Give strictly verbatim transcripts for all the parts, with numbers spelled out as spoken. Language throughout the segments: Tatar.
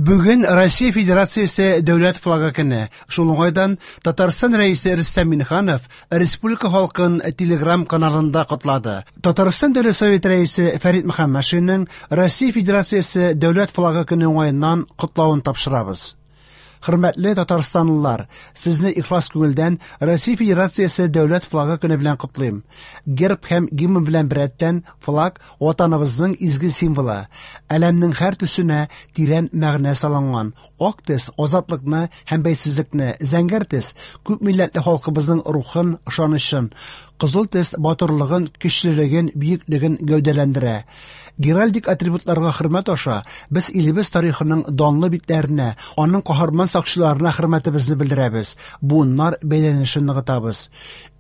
Бүген Россия Федерациясе Дәүләт флагы көне. Шул уңайдан Татарстан Рәисе Рөстәм Миңнеханов республика халкын Телеграм каналында котлады. Татарстан Дәүләт Советы Рәисе Фәрит Мөхәммәтшинның Россия Федерациясе Дәүләт флагы көне уңаеннан котлавын тапшырабыз. Хөрмәтле татарстанлылар, сезне ихлас күңелдән Россия Федерациясе Дәүләт флагы көне белән котлыйм. Герб һәм гимн белән беррәттән флаг ватаныбызның изге символы. Әләмнең һәр төсенә тирән мәгънә салынган. Ак төс азатлыкны һәм бәйсезлекне, зәңгәр төс күп милләтле халкыбызның рухын, ышанычын, кызыл төс батырлыгын, көчлелеген, бөеклеген гәүдәләндерә. Геральдик атрибутларга хөрмәт аша без илебез тарихының данлы битләренә, аның каһарман сакчыларына хөрмәтебезне белдерәбез, буыннар бәйләнешен ныгытабыз.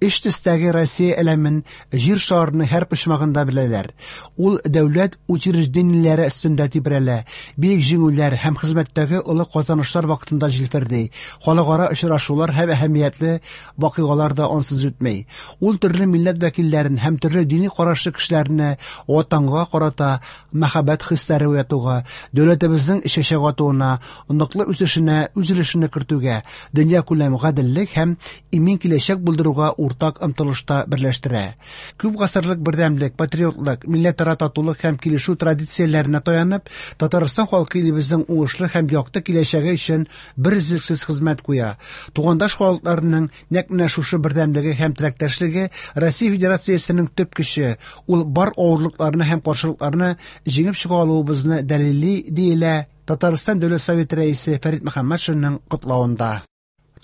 Өч төстәге Россия әләмен җир шарының һәр почмагында беләләр. Ул дәүләт учреждениеләре өстендә тибрәлә, бөек җиңүләр һәм хезмәттәге олы казанышлар вакытында җилферди. Халыкара очрашулар һәм әһәмиятле вакыйгалар да ансыз үтми. Ул төрле милләт вәкилләрен һәм төрле дини карашлы кешеләрне ватанга карата мәхәббәт хисләре уятуга, дәүләтебезнең чәчәк атуына, ныклы үсешенә үз өлешен кертүгә, дөньякүләм гаделлек һәм имин киләчәк булдыруга уртак омтылышта берләштерә. Күп гасырлык бердәмлек, патриотлык, милләтара татулык һәм килешү традицияләренә таянып, Татарстан халкы илебезнең уңышлы һәм якты киләчәге өчен берөзлексез хезмәт куя. Тугандаш халыкларының нәкъ менә шушы бердәмлеге һәм теләктәшлеге Россия Федерациясенең төп көче, ул бар авырлыкларны һәм каршылыкларны җиңеп чыга алуыбызны дәлилли, диелә Татарстан Дәүләт Советы Рәисе Фәрит Мөхәммәтшинның котлавында.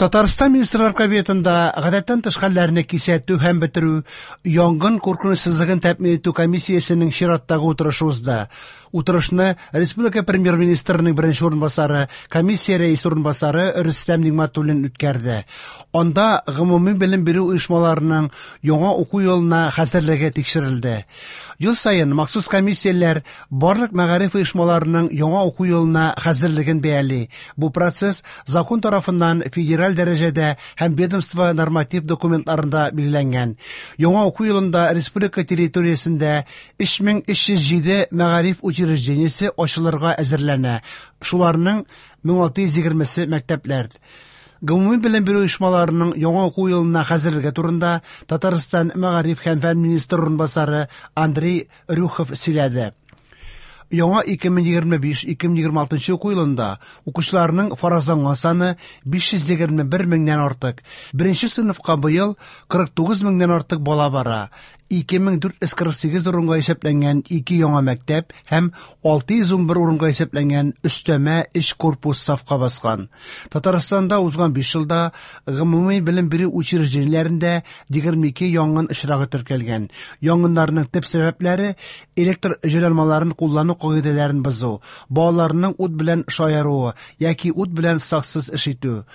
Татарстан Министрлар Кабинетында гадәттән тыш хәлләрне кисәтү һәм бетерү, янгын куркынычсызлыгын тәэмин итү комиссиясенең чираттагы утырышы узды. Утырышны республика премьер-министрының беренче урынбасары, комиссия рәисе урынбасары Рөстәм Нигъмәтуллин үткәрде. Анда гомуми белем бирү оешмаларының яңа уку елына хәзерлеге тикшерелде. Ел саен махсус комиссияләр барлык мәгариф оешмаларының яңа уку елына хәзерлеген бәяли. Бу процесс закон тарафыннан федераль дәрәҗәдә һәм ведомство норматив документларында билгеләнгән. Яңа уку елында республика территориясендә өч мең өч йөз җиде мәгариф учреждениесе ачылырга әзерләнә. Шуларның мең алты йөз егермесе мәктәпләр. Гомуми белем бирү оешмаларының яңа уку елына хәзерлеге турында Татарстан мәгариф һәм фән министры урынбасары Андрей Рюхов сөйләде. Яңа ике мең егерме биш - ике мең егерме алтынчы уку елында укучыларның фаразланган саны биш йөз егерме бер меңнән артык. Беренче сыйныфка быел кырык тугыз меңнән артык бала бара. Ике мең дүрт йөз кырык сигез урынга исәпләнгән ике яңа мәктәп һәм алты йөз ун бер урынга исәпләнгән өстәмә өч корпус сафка баскан. Татарстанда узган биш елда гомуми белем бирү учреждениеләрендә егерме ике янгын очрагы теркәлгән. Янгыннарның төп сәбәпләре электр җайланмаларын куллану кагыйдәләрен бозу, балаларның ут белән шаяруы яки ут белән саксыз эш итү.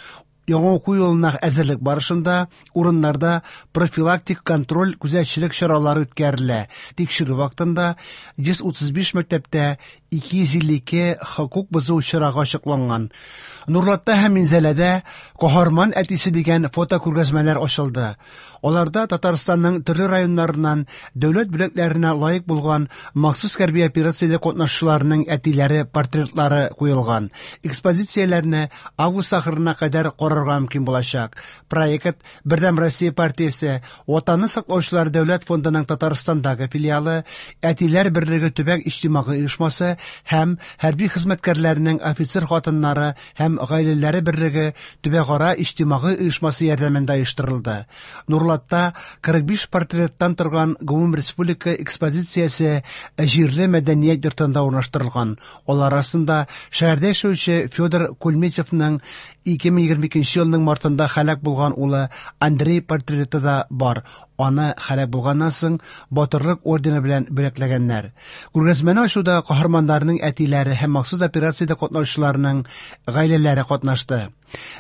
Яңа уку елына әзерлек барышында урыннарда профилактик контроль күзәтчелек чаралары үткәрелә. Тикшерү вакытында йөз утыз биш мәктәптә ике йөз илле ике хокук бозу очрагы ачыкланган. Нурлатта һәм Минзәләдә Каһарман әтисе дигән фотокүргәзмәләр ачылды. Аларда Татарстанның төрле районнарыннан дәүләт бүләкләренә лаек булган махсус хәрби операциядә катнашучыларның әтиләре портретлары куелган. Экспозицияләрне август ахырына кадәр карарга мөмкин булачак. Проект Бердәм Россия партиясе Ватанны саклаучылар дәүләт фондының Татарстандагы филиалы, Әтиләр берлеге төбәк иҗтимагый оешмасы һәм хәрби хезмәткәрләрнең офицер хатыннары һәм гаиләләре берлеге төбәкара иҗтимагый оешмасы ярдәмендә оештырылды. Нурлатта кырык биш портреттан торган гомум республика экспозициясе җирле мәдәният йортында урнаштырылган. Алар арасында шәһәрдә яшәүче Федор Кульметьевның ике мең егерме икенче елның мартында һәлак булган улы Андрей портреты да бар. Аны һәлак булганнан соң Батырлык ордены белән бүләкләгәннәр. Күргәзмәне ачуда каһарманнарның әтиләре һәм махсус операциядә катнашучыларның гаиләләре катнашты.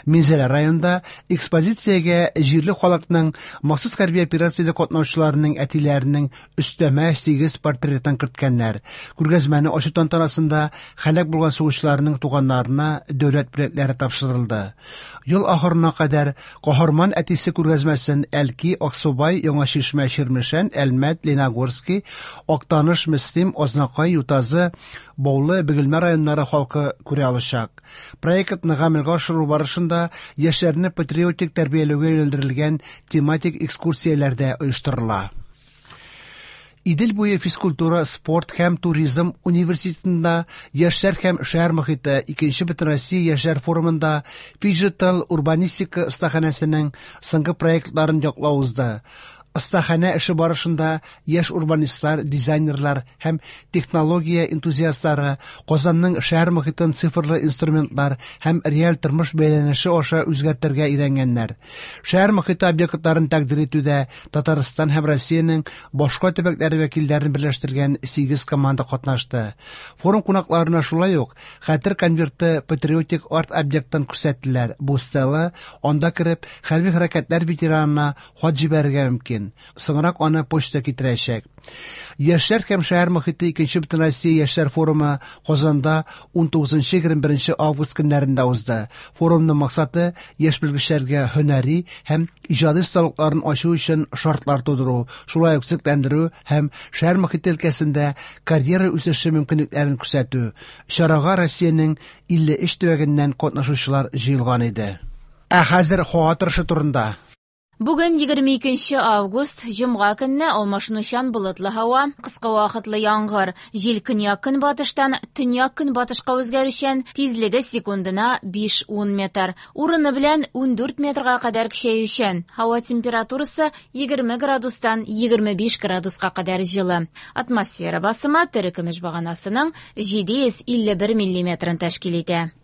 Минзәлә районында экспозициягә җирле халыкның махсус хәрби операциядә катнашучыларның әтиләренең өстәмә сигез портретын керткәннәр. Күргәзмәне ачу тантанасында һәлак булган сугышчыларның туганнарына дәүләт бүләкләре тапшырылды. Ел ахырына кадәр Каһарман әтисе күргәзмәсен Әлки, Аксубай, Яңа Чишмә, Чирмешән, Әлмәт, Лениногорский, Актаныш, Мөслим, Азнакай, Ютазы, Баулы, Бөгелмә районнары халкы күрә алачак. Проектны гамәлгә ашыру барышында яшьләрне патриотик тәрбияләүгә юнәлдерелгән тематик экскурсияләр дә оештырыла. Идел буе физкультура, спорт һәм туризм университетында яшьләр һәм шәһәр мохите икенче Бөтенроссия яшьләр форумында фиджитал урбанистика остаханәсенең соңгы проектларын яклау узды. Остаханә эше барышында яшь урбанистлар, дизайнерлар һәм технология энтузиастлары Казанның шәһәр мохитен цифрлы инструментлар һәм реаль тормыш бәйләнеше аша үзгәртергә өйрәнгәннәр. Шәһәр мохите объектларын тәкъдир итүдә Татарстан һәм Россиянең башка төбәкләре вәкилләрен берләштергән сигез команда катнашты. Форум кунакларына шулай ук Хәтер конверты патриотик арт-объектын күрсәттеләр. Бу стела, анда кереп, хәрби хәрәкәтләр ветеранына хат җибәрергә мөмкин. Соңрак аны почта китерәчәк. Яшьләр һәм шәһәр мохите икенче Бөтенроссия яшьләр форумы Казанда ун тугызынчы егерме беренче август көннәрендә узды. Форумның максаты яшь белгечләргә һөнәри һәм иҗади осталыкларын ачу өчен шартлар тудыру, шулай ук төзекләндерү һәм шәһәр мохите өлкәсендә карьера үсеше мөмкинлекләрен күрсәтү. Чарага Россиянең илле өч төбәгеннән катнашучылар җыелган иде. Ә хәзер һава торышы турында. Бүген егерме икенче август, җомга көнне алмашынучан болытлы һава, кыска вакытлы яңгыр, җил көньяк-көнбатыштан төньяк-көнбатышка үзгәрүчән, тизлеге секундына биш-ун метр, урыны белән ундүрт метрга кадәр көчәючән. Һава температурасы егерме градустан егерме биш градуска кадәр җылы. Атмосфера басымы терекөмеш баганасының җиде йөз илле бер миллиметрын тәшкил итә.